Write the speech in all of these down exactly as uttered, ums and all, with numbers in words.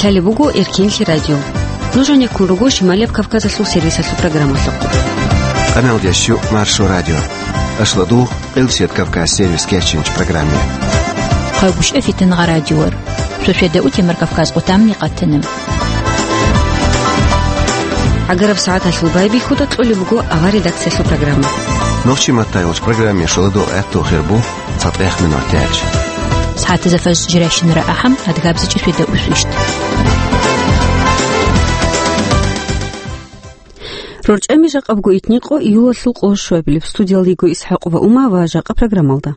Лъалеб буго Эркенлъи радио. Нуж гьанеккун руго Шималияб Кавказалъул сервисалъул программалъухъ. Къаналдящу Маршо радио. Ашладу Къилсият Кавказ сервис кечинч программе. Хъагушев Фитингъа радиор. Шошеда утемар Кавказ къутамни къатана. ГӀагараб сагӀаталъул байбихьуда кьолеб буго авар редакциялъул программа. Нохчи матайулч программе шоладу гӀатту хирбу. ЦатӀехъ минуталъ. СагӀатазда фажр жирайщинара ахӀам, адгабзичӀи шведа усвищ. РорчӀами жакъабго итникъо июлалъул къо щуабилеб. Студиялда йиго ИсхӀакъова Ума ва жакъа программалда.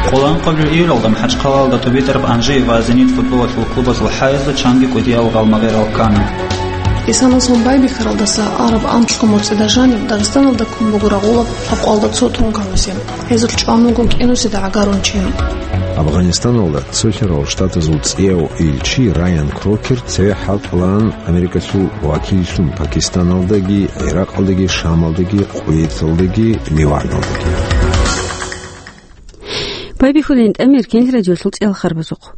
Къоло анкъабилеб июлалда МахӀачхъалаялда ТӀубитӀараб Анжи ва Зенит футболалъул клубазул хӀаязда чанги кӀудиял гъалмагъирал ккана. Исанасул байбихьаралдаса араб анлъго моцӀида жаниб Дагъистаналда ккун буго рагъулаб лъабкъоялда цо тункагӀуси. Гьезулъ чӀван вуго кӀинусида гӀагарун чи. Афганистаналда Цолъарал Штатазул цӀияв илчи Райан Крокер цеве хӀалтӀулаан Америкалъул вакиллъун Пакистаналдаги, ГӀиракъалдаги, Шамалдаги, Къуейталдаги, Ливаналдаги. Байбихьулин тӀамир кенлъи радиолъул цӀиялхарбазухъ.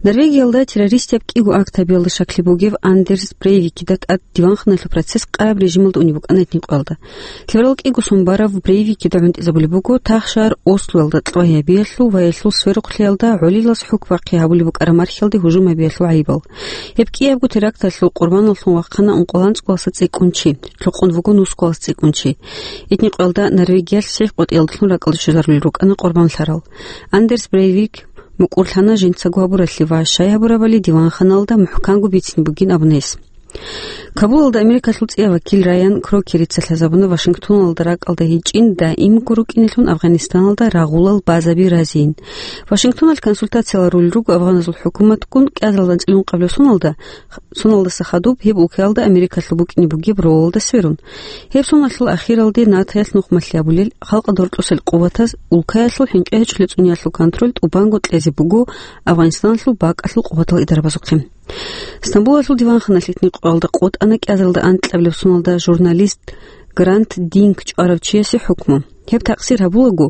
Норвегиялда террористияб кӀиго акт гьабиялда шаклъи бугев Андерс Брейвикида тӀад диванханалъул процесс къараб режималда унеб букӀана этникъоялда. Лъеберал кӀиго сон барав Брейвикида гӀунтӀизабулеб буго тахшар Ослоялда кьвагьабиялъул ва гьелъул сверухълъиялда гӀолилас хӀукму бахъи гьабулеб букӀараб мархьалде гьужум гьабиялъул гӀайибал. Гьеб кӀиябго теракталъул къурбаналлъун вахъана ункъоялда анцӀгоялдаса цӀикӀкӀун чи, лъукъун вуго нусгоялдаса цӀикӀкӀун чи. Этникъоялдалъ Норвегиялъ сихӀ къотӀиялдалъун ракӀалде щвезарулел рукӀана къурбанлъарал. Андерс Брейвик мукӀурлъана жинцаго гьабуралъе ва щай гьабурабали диванханалда мухӀканго бицине бугин абуна гьес. Кабулалда Америкалъул цӀияв вакил Райан Крокерица лъазабуна Вашингтоналда ракӀалда гьечӀин даимго рукӀинелъун Афганистаналда рагъулал базаби разийин. Вашингтоналъ консультациялъ рулел руго афганазул хӀукуматгун кӀиазалда анцӀила ункъабилеб соналда, соналдаса хадуб гьеб улкаялда Америкалъул букӀине бугеб ролалда сверун. Гьеб соналъул ахиралде НАТОялъ нухмалъи гьабулел халкъалда гьоркьосел къуватаз улкаялъул хӀинкъи гьечӀолел цӀуниялъул контроль тӀубанго кьезе буго Афганистаналъул бакӀалъул къуватал идарабазухъе. Стамбулалъул диванханалъ этникъоялда къотӀана кӀиазалда анкьабилеб соналда журналист Грант Динк чӀварав чиясе хӀукму. Гьеб такъсир гьабулаго,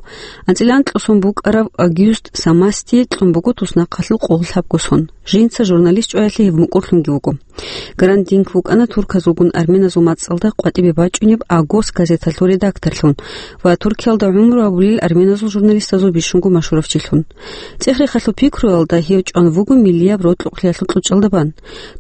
анцӀила анкьго сон букӀарав Огюст Самастие кьун буго туснахъалъул къоло лъабго сон. Жинца журналист чӀваялъе гьеб мукӀурлъунги вуго. Грант Динк вукӀана турказулгун арменазул мацӀалда къватӀибе бачӀунеб «Агос» газеталъул редакторлъун ва Туркиялда гӀумру гьабулел арменазул журналистазул бищунго машгьуравчилъун. ЦӀех-рехалъул пикруялда гьев чӀван вуго миллияб рокьукълъиялъул кьучӀалда бан.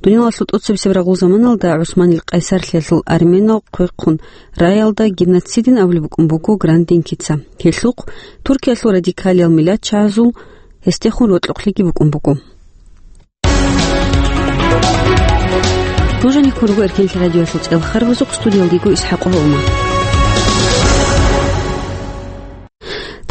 Дуниялалъул тӀоцебесеб рагъул заманалда ГӀусманил къайсарлъиялъул арменал хъвехъун раялда геноцидин абулеб букӀун буго Грант Динкица. Гьелъухъ Туркиялъул радикалиял миллатчагӀазул гьесдехун рокьукълъиги букӀун буго. Нуж гьанеккун руго Эркенлъи радиоялъул цӀиялхарбазухъ, студиялда йиго ИсхӀакъова Ума.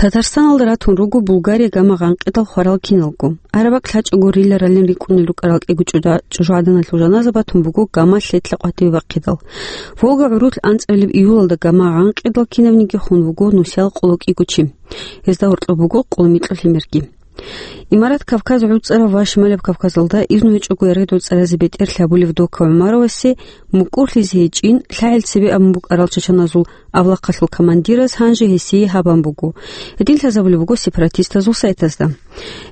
Татарстаналда ратун руго Булгария гама гъанкъидал хварал киналго. Арабакь лъачӀого риларалин рикӀкӀунел рукӀарал кӀиго чӀужа-, чӀужугӀаданалъул жаназа батун буго гама лъедлъа къватӀиве бахъидал. Волга гӀурулъ анцӀабилеб июлалда гама гъанкъидал кинабниги хун вуго нусиял къоло кӀиго чи. Гьезда гьоркьоб буго къоло микьго лъимерги. Имарат Кавказ гӀуцӀарав ва Шималаб Кавказалда изну гьечӀого яргъидул цӀаразе бетӀерлъи гьабулев Дока ГӀумаровасе мукӀурлъизе гьечӀин, лъагӀел цебе абун букӀарал чачаназул авлахъалъул командираз гьанже гьесие гьабан буго. Гьедин лъазабулеб буго сепаратистазул сайтазда.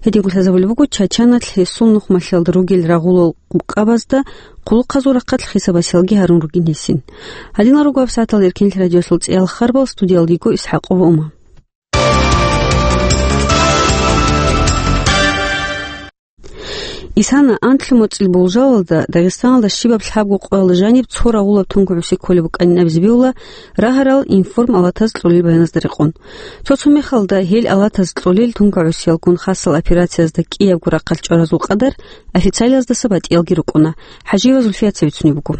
Гьединго лъазабулеб буго Чачаналъ гьесул нухмалъиялда ругел рагъулал къукъабазда хъулухъазул рахъалъ хисаб-басиялги гьарун ругин гьесин. Гьадинал руго гьабсагӀатал Эркенлъи радиоялъул цӀиялхарбал, студиялда йиго ИсхӀакъова Ума. Исана анлъго моцӀил болжалалда Дагъистаналда щибаб лъабго къоялда жаниб цо рагъулаб тункагӀуси кколеб букӀанин абизе бегьула рагьарал информ алатаз кьолел баяназда рекъон. Цо-цо мехалда гьел алатаз кьолел тункагӀусиялгун хасал операциязда кӀиябго рахъалъ чӀваразул къадар официалаздаса батӀиялги рукӀуна. ХӀажиева Зульфияца бицунеб буго.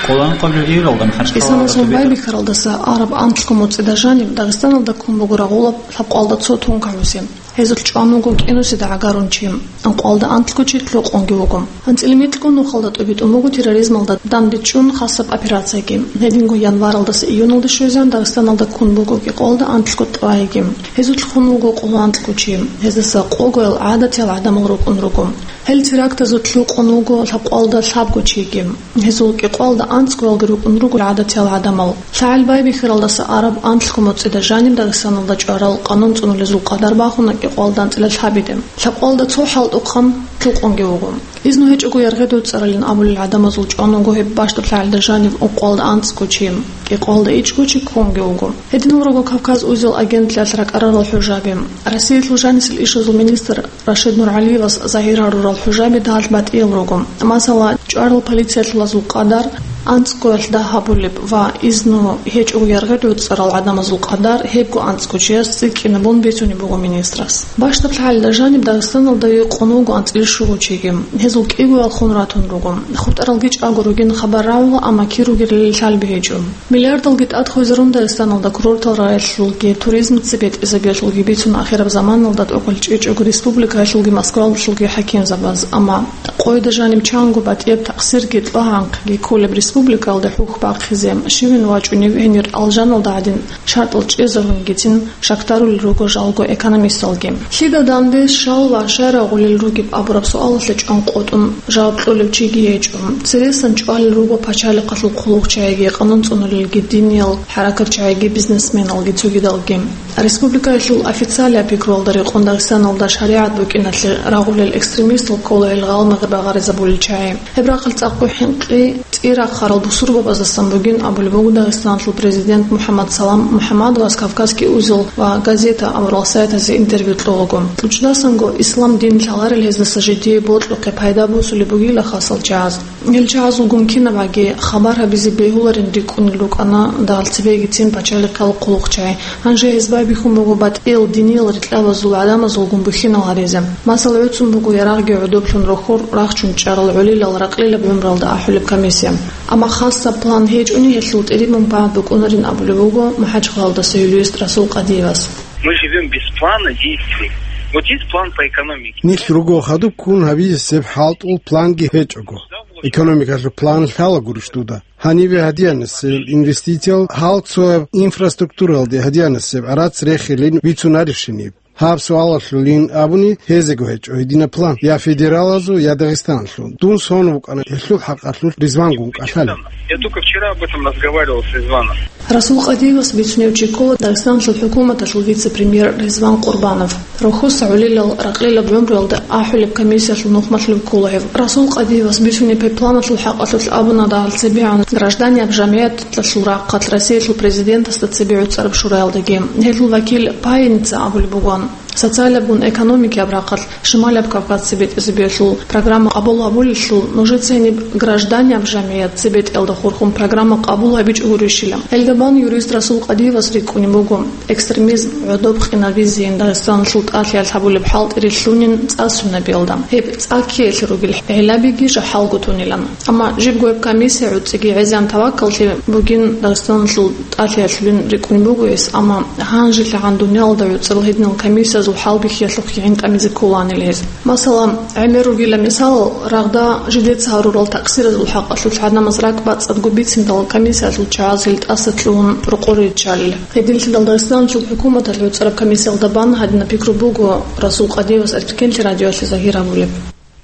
Къоло анкъабилеб июлалда МахӀачхъалаялда Исанасул тӀубитӀараб байбихьаралдаса араб анлъго моцӀида жаниб Дагъистаналда ккун буго рагъулаб лъабкъоялда цо тункагӀуси. Гьезулъ чӀван вуго кӀинусида гӀагарун чи, анкъвалда анлъго чи лъукъунги вуго. АнцӀила микьго нухалда тӀубитӀун буго терроризмалда дандечӀун хасаб операцияги. Гьединго январалдаса июналде щвезегӀан Дагъистаналда ккун буго кӀикъвалда анлъго тӀвайги. Гьезулъ хун вуго къоло анлъго чи. Гьездаса къогоял гӀадатиял гӀадамал рукӀун руго. Гьел терактазулъ лъукъун вуго лъабкъвалда лъабго чиги. Гьезул кӀикъвалда анцӀгоялги рукӀун руго гӀадатиял гӀадамал. ЛъагӀел байбихьаралдаса араб анлъго моцӀида жаниб Дагъистаналда чӀварал къанун цӀунулезул къадар бахуна кӀикъвалда анцӀила лъабиде. Лъабкъвалда цо хӀалтӀухъан лъукъунги вуго. Изну гьечӀого яргъи доцӀцӀаралин абулел гӀадамазул чӀван вуго гьеб бащдаб лъагӀелда жаниб ункъвалда анцӀго чи, кӀикъвалда ичӀго чи ккунги вуго. Гьединал руго Кавказ узел агентлъиялъ ракӀарарал хӀужаби. Россиялъул жанисел ишазул министр Рашид НургӀалиевас загьир гьарурал хӀужаби дагьалъ батӀиял руго. Масала, чӀварал полициялъулазул къадар анцӀгоялъ дагь гьабулеб ва изну гьечӀого яргъи доцӀцӀарал гӀадамазул къадар гьебго анцӀго чияс цӀикӀкӀинабун бицунеб буго министрас. Бащдаб лъагӀелда жаниб Дагъистаналда юкъун вуго анцӀила щуго чиги. Гьезул кӀигоял хун ратун руго. ХутӀаралги чӀаго ругин хабар рагӀула, амма кир ругелали лъалби гьечӀо. Миллиардалги тӀад хвезарун Дагъистаналда курортал районалъулги туризм цебетӀезабиялъулги бицун ахираб заманалда тӀокӀал чӀечӀого республикаялъулги Москваялъулги хӀакимзабаз, амма къойда жаниб чанго батӀияб такъсирги тӀлагьанхъги кколеб республикаялда хӀухь бахъизе щивин вачӀунев гьенир алжаналда гӀадин шартӀал чӀезарун гицин шактарулел руго жалго экономисталги. Лъида данде щал ва щай рагъулел ругеб абураб суалалъе чӀван къотӀун жаваб кьолев чиги гьечӀо. Цересан чӀвалел руго пачалихъалъул хъулухъчагӀиги, къанун цӀунулелги, диниял хӀаракатчагӀиги, бизнесменалги цогидалги. Республикаялъул официалияб пикруялда рекъон Дагъистаналда шаригӀат букӀиналъе рагъулел экстремистал ккола гьел гъалмагъи багъаризабулел чагӀи. Гьеб рахъалъ цӀакъго хӀинкъи тӀирахъарал бусурбабаздасан бугин абулеб буго Дагъистаналъул президент МухӀаммад Салам МухӀаммадовас Кавказский узел ва газета абурал сайтазе интервью кьолаго. ТӀучӀдасанго ислам дин лъаларел гьездаса жидее бокьухъе пайда босулеб бугила хасал чагӀаз. Гьел чагӀазулгун кинабгӀаги хабар гьабизе бегьуларин рикӀкӀунел рукӀана дагьал цебегицин пачалихъал хъулухъчагӀи. Гьанже гьез байбихьун буго батӀиял диниял рикьабазул гӀадамазулгун бухьинал гьаризе. Масала, гӀуцун буго ярагъги гӀодоблъун рохьор рахчун чӀарал гӀолилал ракълилаб гӀумруялда ахӀулеб комиссия. Амма хасаб план гьечӀони гьелъул тӀириб мунпагӀат букӀунарин абулеб буго МахӀачхъалаялдаса юрист Расул Къадиевас. Мы живём без плана действий. Вот есть план по экономике. Нилъ руго хадуб ккун гьабизесеб хӀалтӀул планги гьечӀого. Экономикалъул план лъала гурищ дуда? Гьаниве гьадиянасеб инвестициял, гьал цояб инфраструктуралде гьадиянасеб гӀарац рехилин бицунарищиниб? Гьаб суалалъулин абуни, гьезего гьечӀо гьединаб план, я федералазул, я Дагъистаналъул. Дун сон вукӀана гьелъул хӀакъалъулъ Ризвангун кӀалъалев. Я только вчера об этом разговаривал с Ризваном. Расул Къадиевас бицунев чи ккола Дагъистаналъул хӀукуматалъул вице-премьер Ризван Къурбанов. Рохьоса гӀолилал ракълилаб гӀумруялда ахӀулеб комиссиялъул нухмалъулев ккола гьев. Расул Къадиевас бицунеб гьеб планалъул хӀакъалъулъ абуна дагьал цебегӀан гражданияб жамгӀияталъул рахъалъ Россиялъул президентасда цебе гӀуцӀараб шураялдаги. Гьелъул вакил Паяница абулеб бугоан, социалабгун экономикияб рахъалъ Шималаб Кавказ цебетӀезабиялъул программа къабул гьабулелъул нужеца гьениб гражданияб жамгӀият цебетӀиялда хурхун программа къабул гьабичӀого гурищила. Гьелда бан юрист Расул Къадиевас рикӀкӀунеб буго, экстремизм гӀодоб къинабизейин Дагъистаналъул тӀалъиялъ гьабулеб хӀалтӀи рилълъунин цӀа суннабиялда. Гьеб цӀа ккеялъе ругел гӀиллабиги жахӀалго тунилан. Амма жибго гьеб комиссия гӀуцӀиги гӀезегӀан таваккаллъи бугин Дагъистаналъул тӀалъиялъулин рикӀкӀунеб буго гьес, амма гьанжелъагӀан дуниялалда гӀуцӀарал гьединал комиссиязул хӀалбихьиялъухъ гӀин тӀамизе кколаанила гьез. Масала, гӀемер ругила мисал, рагъда жидеца гьарурал такъсиразул хӀакъалъулъ гӀадамаз ракӀбацӀцӀадго бициндал комиссиялъул чагӀаз гьел тӀаса лъугьун рокъоре риччалел. Гьединлъидал Дагъистаналъул хӀукуматалъ гӀуцӀараб комиссиялда бан гьадинаб пикру буго Расул Къадиевас Эркенлъи радиоялъе загьир гьабулеб.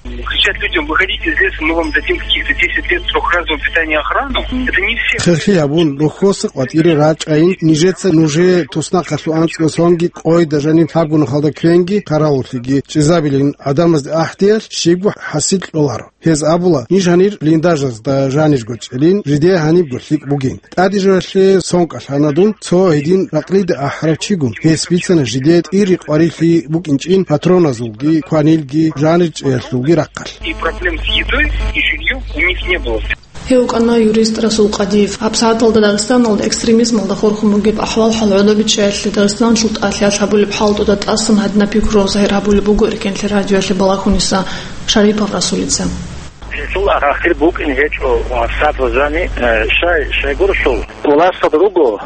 Кричать людям: «Выходите из леса, мы вам дадим каких-то десять лет срок разового питания и охрану». Это не все. Херхи гьабун, рохьоса къватӀире рачӀайин, нижеца нужее туснахъалъув анцӀго сонги къойда жаниб гьабгун халда квенги, хъаравуллъиги чӀезабилин гӀадамазде ахӀдеялъ щибго хӀасил кьоларо. Гьез абула, ниж гьанир блиндажазда жанирго чӀелин, жидее гьанибго лъикӀ бугин. ТӀаде жоялъе сон кӀалъана дун, цо гьедин ракълида ахӀарав чигун. Гьес бицана жидее тӀири къварилъи букӀинчӀин патроназулги, кванилги, жанир чӀеялъулги рахъалъ. И проблем с едой и жильём у них не было. Гьев вукӀана юрист Расул Къадиев. ГьабсагӀаталда Дагъистаналда экстремизмалда хурхун бугеб ахӀвал-хӀал гӀодобиччаялъе Дагъистаналъул тӀалъиялъ гьабулеб хӀалтӀуда тӀасан гьадинаб пикру загьир гьабулеб буго Эркенлъи радиоялъе балагьуниса Шарипов Расулица. Гьесул ахир букӀин гьечӀо, сад ва зани, э, шай, шайгуралъул. Уласад руго,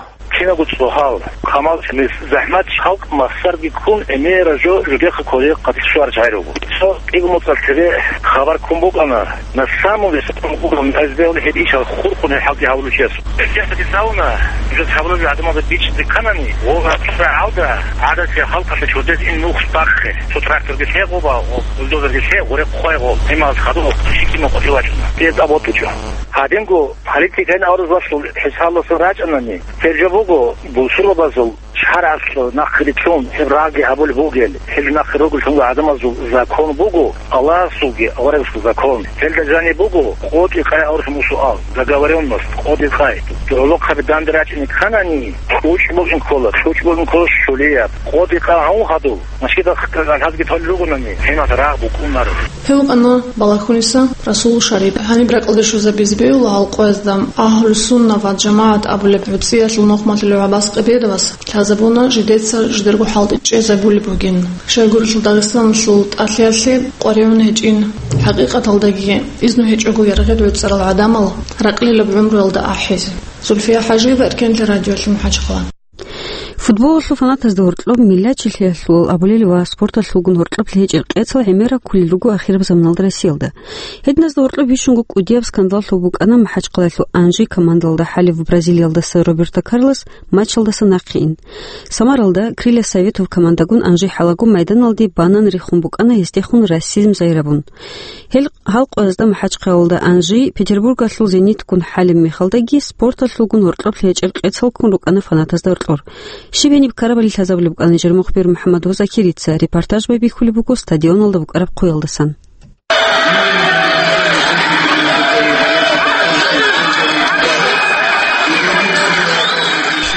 Кинабго цӀогьал, камал, нилъ захӀмат, халкъ махсарги ккун, гӀемераб жо жудехъа кколеб къадир щвараб жагьил руго. Цо кӀиго моцӀалъ цебе хабар ккун букӀана, на самом деле, самом главном, гьез бегьула гьеб ишал хурхун гьеб хӀалги гьавулев чиясул. Гьеб чиясда дица абуна, нужеца гьабулеб гӀадамазда бичӀчӀизе кканани, ва гӀадамазда гӀадатияб халкъалъе чудез ин нух бахъе, цо тракторги лъе гъоба, бульдозерги лъе, гъуре хъвай гъоб, гьимал хадуб, щикимал къотӀи вачӀуна. Гьез абун букӀа. Гьадинго политикайин аварагзабазул хӀисабалдасан рачӀанани, гьеб жо буго бусурбабазул шаргӀалъ нахъе рилълъун гьеб рагъги гьабулеб бугел, гьел нахъе ругеллъунго гӀадамазул закон буго, Аллагьасулги аварагасул закон. Гьелда жаниб буго къотӀи къай аварагасул суал, договорённость, къотӀи къай. ГӀолохъаби данде рачӀине кканани, кьучӀ букӀин ккола, кьучӀ букӀин ккола щулияб. КъотӀи къай гьавун хадуб, машгидал хъалазги толел ругонани, гьениб рагъ букӀунаро. Гьев вукӀана Балагьуниса Расул Шарип. Гьаниб ракьалде щвезабизе бегьула гьал къоязда Агьлу-Сунна ва ЖамагӀат абулеб гӀуцӀиялъул нухмалъулев ГӀаббас Къибедовас. Лъазабуна жидеца жидерго хӀалтӀи чӀезабулеб бугин. Щайгурелъул Дагъистаналъул тӀалъиялъе къваригӀун гьечӀин, хӀакъикъаталдаги изну гьечӀого яргъи гӀуцӀарал гӀадамал ракьлилаб гӀумруялда ахӀизе. Зульфия ХӀажиева, Эркенлъи радиолъи, МахӀачхъала. Футболалъул фанатазда гьоркьоб миллачилъиялъул абулел ва спорталъулгун гьоркьоблъи гьечӀел къецал гӀемер раккулел руго ахираб заманалда Россиялда. Гьединазда гьоркьоб бищунго кӀудияб скандаллъун букӀана МахӀачхъалаялъул Анжи командалда хӀалев Бразилиялдаса Роберто Карлос матчалдаса нахъе ин. Самаралда Крылья Советов командагун Анжи хӀалаго майданалде банан рехун букӀана гьесдехун расизм загьирабун. Гьел гьал къоязда МахӀачхъалалда Анжи, Петербургалъул Зенитгун хӀалеб мехалдаги спорталъулгун гьоркьоблъи гьечӀел къецал ккун рукӀана фанатазда гьоркьор. Щиб гьениб ккарабали лъазабулеб букӀана нижер мухбир МухӀаммад Закирица, репортаж байбихьулеб буго стадионалда букӀараб хъуялдасан.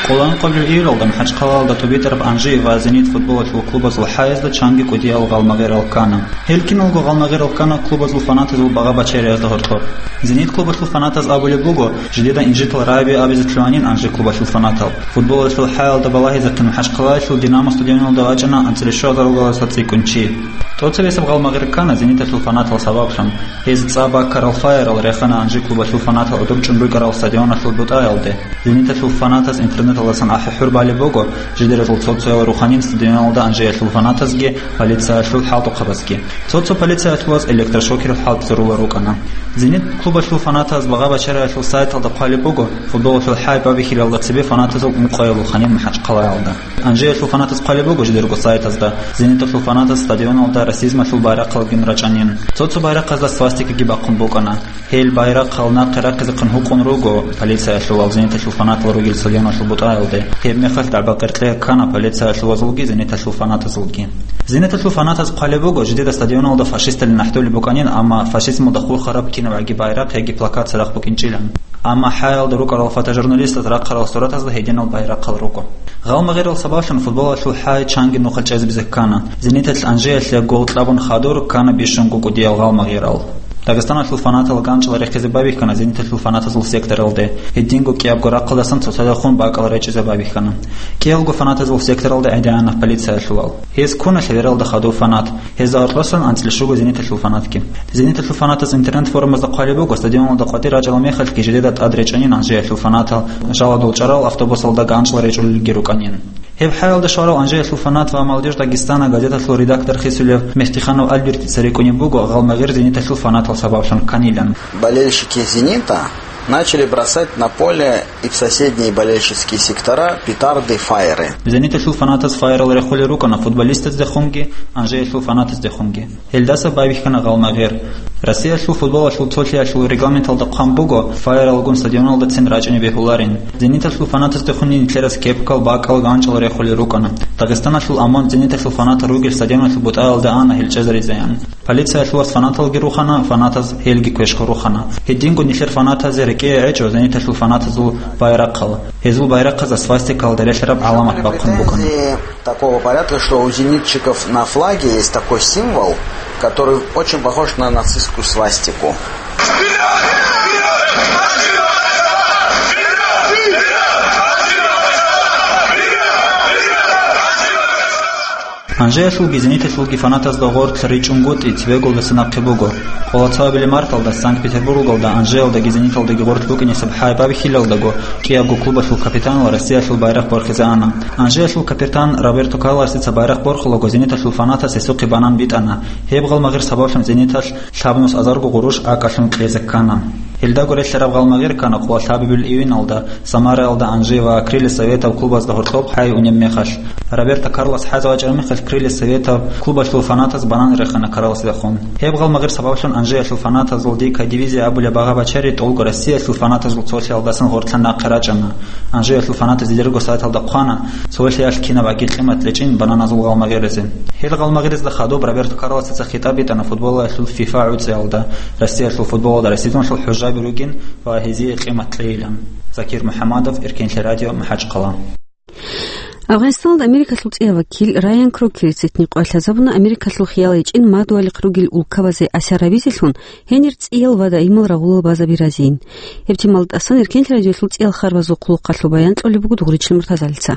Къоло анкьабилеб июлалда МахӀачхъалалда тӀубитӀараб Анжи ва Зенит футболалъул клубазул хӀаязда чанги кӀудиял гъалмагъирал ккана. Гьел киналго гъалмагъирал ккана клубазул фанатазул багъа-бачариязда гьоркьоб. Зенит клубалъул фанатаз абулеб буго, жидеда инжитал рагӀаби абизе лъугьанин Анжи клубалъул фанатал. Футболалъул хӀаялда балагьизехъин МахӀачхъалаялъул Динамо стадионалда вачӀана анцӀила щуазаралгоялдаса цӀикӀкӀун чи. ТӀоцебесеб гъалмагъир ккана Зениталъул фанатал сабаблъун. Гьез цӀа баккарал файерал рехана Анжи клубалъул фанатал гӀодор чӀун рукӀарал стадионалъул бутӀаялде. Зениталъул фанатаз интернеталдасан ахӀи-хӀур балеб буго, жидеразул цо-цоял руханин стадионалда Анжиялъул фанатазги полициялъул хӀалтӀухъабазги. Цо-цо полициялъулаз электрошокерал хӀалтӀизарула рукӀана. Зенит клубалъул фанатаз багъа-бачариялъул сайталда хъвалеб буго, футболалъул хӀай бабихьилалда цебе фанатазул ункъоялъул ханин МахӀачхъалаялда. Анжиялъул фанатаз хъвалеб буго жидерго сайтазда, Зениталъул фанатаз стадионалда расизмалъул байрахъалгин рачӀанин. Цо-цо байрахъазда свастикаги бахъун букӀана. Гьел байрахъал нахъе рахъизехъин гьукъун руго полициялъул ва Зениталъул фанатал ругел стадионалъул бутӀаялде. Гьеб мехалъ дагӀба-къеркье ккана полициялъулазулги Зениталъул фанатазулги. Зениталъул фанатаз хъвалеб буго, жидеда стадионалда фашисталин нахӀдулеб букӀанин, амма фашизмалда хурхараб кинабгӀаги байрахъ яги плакат цадахъ букӀинчӀилан. Амма хӀаялда рукӀарал фотожурналистаз рахъарал суратазда гьединал байрахъал руго. Гъалмагъирал сабаблъун футболалъул хӀай чанги нухал чӀезабизе ккана. Зениталъ Анжиялъе гол кьабун хадур ккана бищунго кӀудиял гъалмагъирал. Дагъистаналъул фанатал ганчӀал рехизе байбихьана Зениталъул фанатазул секторалде, гьединго кӀиябго рахъалдасан цоцазда хун бакӀал речӀчӀизе байбихьана. КӀиялго фанатазул секторалда гӀедегӀана полициялъулал. Гьез ккуна лъебералда хадув фанат. Гьезда гьоркьосан анцӀила щуго Зениталъул фанатги. Зениталъул фанатаз интернет-форумазда хъвалеб буго, стадионалда къватӀир рачӀарал мехалъги жидеда тӀад речӀанин Анжиялъул фанатал, жаладул чӀарал автобусалда ганчӀал речӀулелги рукӀанин. Гьеб хӀаялда шварал Анжиялъул фанат ва Молодёжь Дагестана газеталъул редактор хисулев Мехтиханов Альбертица рикӀкӀунеб буго гъалмагъир Зениталъул фанатал сабаблъун кканилан. Болельщики «Зенита» начали бросать на поле и в соседние болельщические сектора петарды, файеры. Зениталъул фанатаз файерал рехулел рукӀана футболистаздехунги, Анжиялъул фанатаздехунги. Гьелдаса байбихьана гъалмагъир. Россиялъул футболалъул цолъиялъул регламенталда хъван буго, файералгун стадионалдацин рачӀине бегьуларин. Зениталъул фанатаздехунни нилъерас кепкал, бакӀал, ганчӀал рехулел рукӀана. Дагъистаналъул ОМОН Зениталъул фанатал ругел стадионалъул бутӀаялда ана гьел чӀезаризеян. Полициялъулас фанаталги рухана, фанатаз гьелги квешго рухана. Гьединго нилъер фанатазе рекӀее гӀечӀо Зениталъул фанатазул байрахъал. Гьезул байрахъазда свастикалда релълъараб гӀаламат бахъун букӀана. Такого порядка, что у зенитчиков на флаге есть такой символ, который очень похож на нацистскую свастику. Анжеялъулги Зениталъулги фанатазда гъоркь ричӀунгутӀи цебеголдаса нахъе буго. Къоло цоабилеб марталда Санкт-Петербургалда Анжеялдаги Зениталдаги гъоркь букӀинесеб хӀайб абихьилалдаго кӀиябго клубалъул капитанал Россиялъул байрахъ борхизе ана. Анжеялъул капитан Роберто Карлосица байрахъ борхулаго Зениталъул фанатас гьесухъе банан битӀана. Гьеб гъалмагъир сабаблъун Зениталъ лъабнус азарго гъурущ акӀалъун кьезе ккана. Гьелдаго релълъараб гъалмагъир ккана къоло лъабабилеб июналда Самараялда Анжи ва Крылья Советов клубазда гьоркьоб хӀай унеб мехалъ. Роберто Карлос хӀазе вачӀараб мехалъ Крылья Советов клубалъул фанатаз банан рехана Карлосидехун. Гьеб гъалмагъир сабаблъун Анжеялъул фанатазул Дикая дивизия абулеб багьа-бачари тӀолго Россиялъул фанатазул цолъиялдасан гъортлъан нахъе рачӀана. Анжеялъул фанатаз дидерго сайталда хъвана, цолъиялъ кинаб аги къимат лечӀин бананазул гъалмагъиризе. Гьел гъалмагъиризда хадуб Роберто Карлосица хитӀаб битӀана футболалъул ФИФА гӀуцӀиялда, Россиялъул футболалда росидуналъул хӀужаби ругин ва гьезие къимат кьейилан. Закир МухӀаммадов, Эркенлъи радио, МахӀачхъала. Афганистаналда Америкалъул цӀияв вакил Райан Крокерица гьитӀинаб къоялъ лъазабуна Америкалъул хиял гьечӀин мадугьалихъ ругел улкабазе асар гьабизелъун, гьенир цӀиял ва даимал рагъулал базаби разиин. Гьеб темалда тӀасан Эркенлъи радиолъул цӀиял харбазул хъулухъалъул баян кьолеб буго Дугъричил Муртазалица.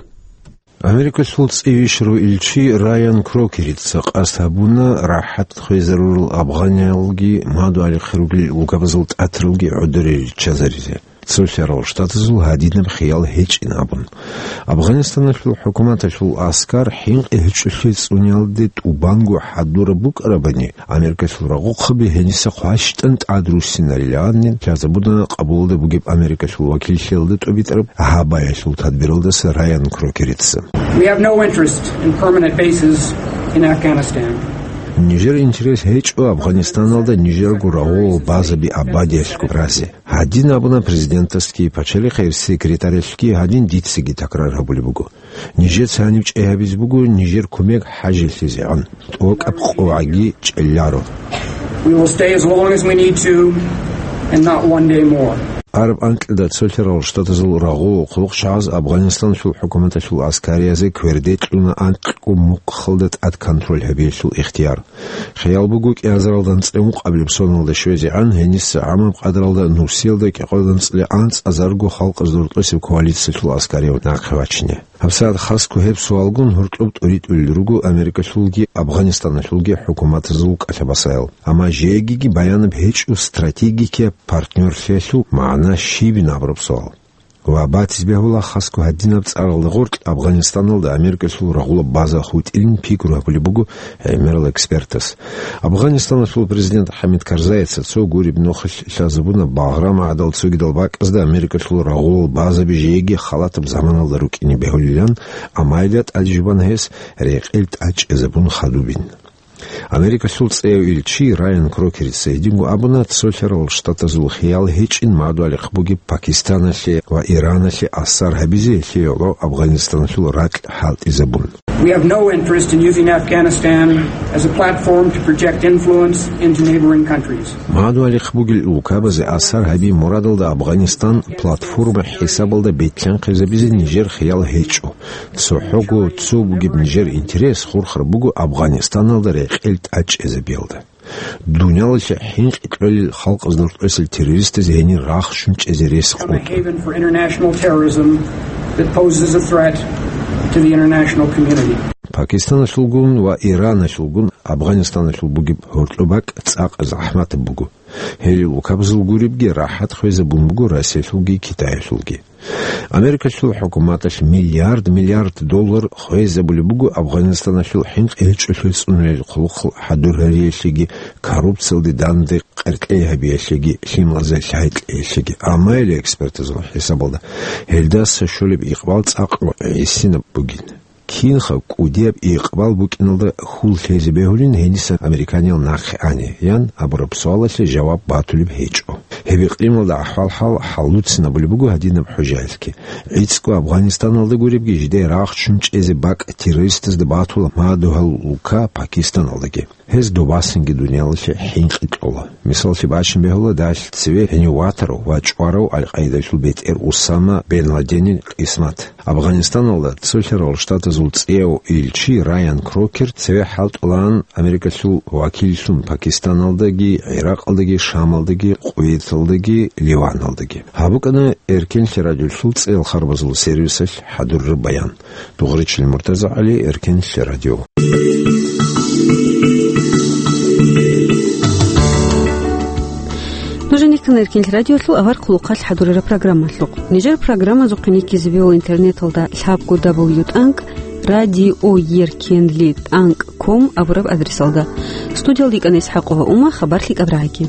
Америкалъул цӀивищ руилчи Райан Крокерица къасд гьабуна рахӀат хвезарурал афганиялги мадугьалихъ ругел улкабазул тӀатаралги гӀодоре риччазаризе, цолъарал штатазул гьадинаб хиял гьечӀин абун. Афганистаналъул хӀукуматалъул аскар хӀинкъи гьечӀолъи цӀуниялде тӀубанго хӀадураб букӀарабани, Америкалъул рагъухъаби гьениса хъващтӀан тӀад руссинарилан лъазабуна Къабулалда бугеб Америкалъул вакиллъиялда тӀубитӀараб гьабаялъул тадбиралдаса Райан Крокерица. We have no interest in permanent bases in Afghanistan. Нижер интерес гьечӀо Афганистаналда нижерго рагъул базаби абадиялъго разе. Гьадин абуна президентасги, пачалихъ гьев секретарялъги, гьадин дицаги такрар гьабулеб буго. Нижеца гьаниб чӀей гьабизе буго нижер кумек хӀажиллъизегӀан, тӀокӀаб къоагӀги чӀеларо. We will stay as long as we need to, and not one day more. Араб анкьида цолъарал штатазул рагъу хъулухъчагӀаз Афганистаналъул хӀукуматалъул аскариязе кверде кьуна анкьго мухъалда тӀад контроль гьабиялъул ихтияр. Хиял буго кӀиазаралда анцӀила ункъабилеб соналда щвезегӀан гьениса гӀамаб къадралда нусиялда кӀикъоялда анцӀила анцӀазарго халкъазда рокьосеб коалициялъул аскарияв нахъе вачине. ГьабсагӀат хасго гьеб суалгун гьоркьоб тӀуритӀулел руго Америкалъулги Афганистаналъулги хӀукуматазул кӀалъабасаял. Амма жегиги баянаб гьечӀо стратегикияб партнёрлъиялъул магӀна щибин абураб суал. Ва батизе бегьула хасго гьадинаб цӀаралда гъоркь Афганистаналда Америкалъул рагъулаб база хутӀилин пикру гьабулеб буго гӀемерал экспертас. Афганистаналъул президент ХӀамид Карзаица цо гуреб нухалъ лъазабуна багърам гӀадал цогидал бакӀазда Америкалъул рагъулал базаби жеги халатаб заманалда рукӀине бегьулилан, амма гьелда тӀадежбан гьес рекъел тӀадчӀезабун хадубин. Америкалъул цӀеяв илчи Райан Крокерица гьединго абуна, цолъарал штатазул хиял гьечӀин мадугьалихъ бугеб Пакистаналъе ва Ираналъе асар гьабизе, гьелъие гӀоло Афганистаналъул ракь хӀалтӀизабун. We have no interest in using Afghanistan as a platform to project influence into neighboring countries. Мадугьалихъ бугел улкабазе асар гьаби мурадалда Афганистан платформа хӀисабалда бетӀлъанхъизабизе нижер хиял гьечӀо. ЦохӀого цо бугеб нижер интерес хурхар буго Афганистаналда рекъел тӀадчӀезабиялда. Дуниялалъе хӀинкъи кьолел халкъазда рокьосел террористазе гьенир рахчун чӀезе рес Become a къотӀун. Haven for international terrorism that poses a threat to the international community. Пакистаналъулгун ва Ираналъулгун Афганистаналъул бугеб гьоркьоб бакӀ цӀакъ захӀматаб буго. Гьелил улкабазул гуребги рахӀат хвезабун буго Россиялъулги Китаялъулги. Америкалъул хӀукуматалъ миллиард-миллиард доллар хвезабулеб буго Афганистаналъул хӀинкъи гьечӀолъи цӀунулел хъулухъ хӀадур гьариялъеги, коррупциялде данде къеркьей гьабиялъеги, лъималазе лъай кьеялъеги. Амма гьел экспертазул хӀисабалда, гьелдаса щолеб икъбал цӀакъго гӀисинаб бугин. Кинха кӀудияб икъбал букӀиналда хьул лъезе бегьулин гьениса американиял нахъе ани, ян абураб суалалъе жаваб батулеб гьечӀо. Гьеб икълималда ахӀвал-хӀал хӀаллуцинабулеб буго гьадинаб хӀужаялъги. ГӀицӀго Афганистаналда гуребги, жидее рахчун чӀезе бакӀ террористазда батула мадугьал улка Пакистаналдаги. Гьез добасинги дуниялалъе хӀинкъи кьола. Мисаллъи бачун бегьула, далъ цеве гьенив ватарав ва чӀварав Аль-Къаидалъул бетӀер Усама бен Ладенил къисмат. Афганистаналда цолъарал штатазул цӀеяв илчи Райан Крокер цеве хӀалтӀулаан Америкалъул вакиллъун Пакистаналдаги, ГӀиракьалдаги, Шамалдаги, Кувейталдаги, Ливаналдаги. Гьаб букӀана Эркенлъи радиолъул цӀеял харбазул сервисалъ хӀадураб баян. Дугъричил Муртазагьали, Эркенлъи радио. Нуж никкана Эркенлъи радиолъул авар хъулухъалъ хӀадурараб программалъухъ. Нижер программазухъе никкизабиула интернеталда лъабго дабл ю тӀанкӀ радио еркенлъи тӀанкӀ ком абураб адресалда. Студиялда йикӀана ИсхӀакъова Ума, хабар лъикӀаб рагӀиги.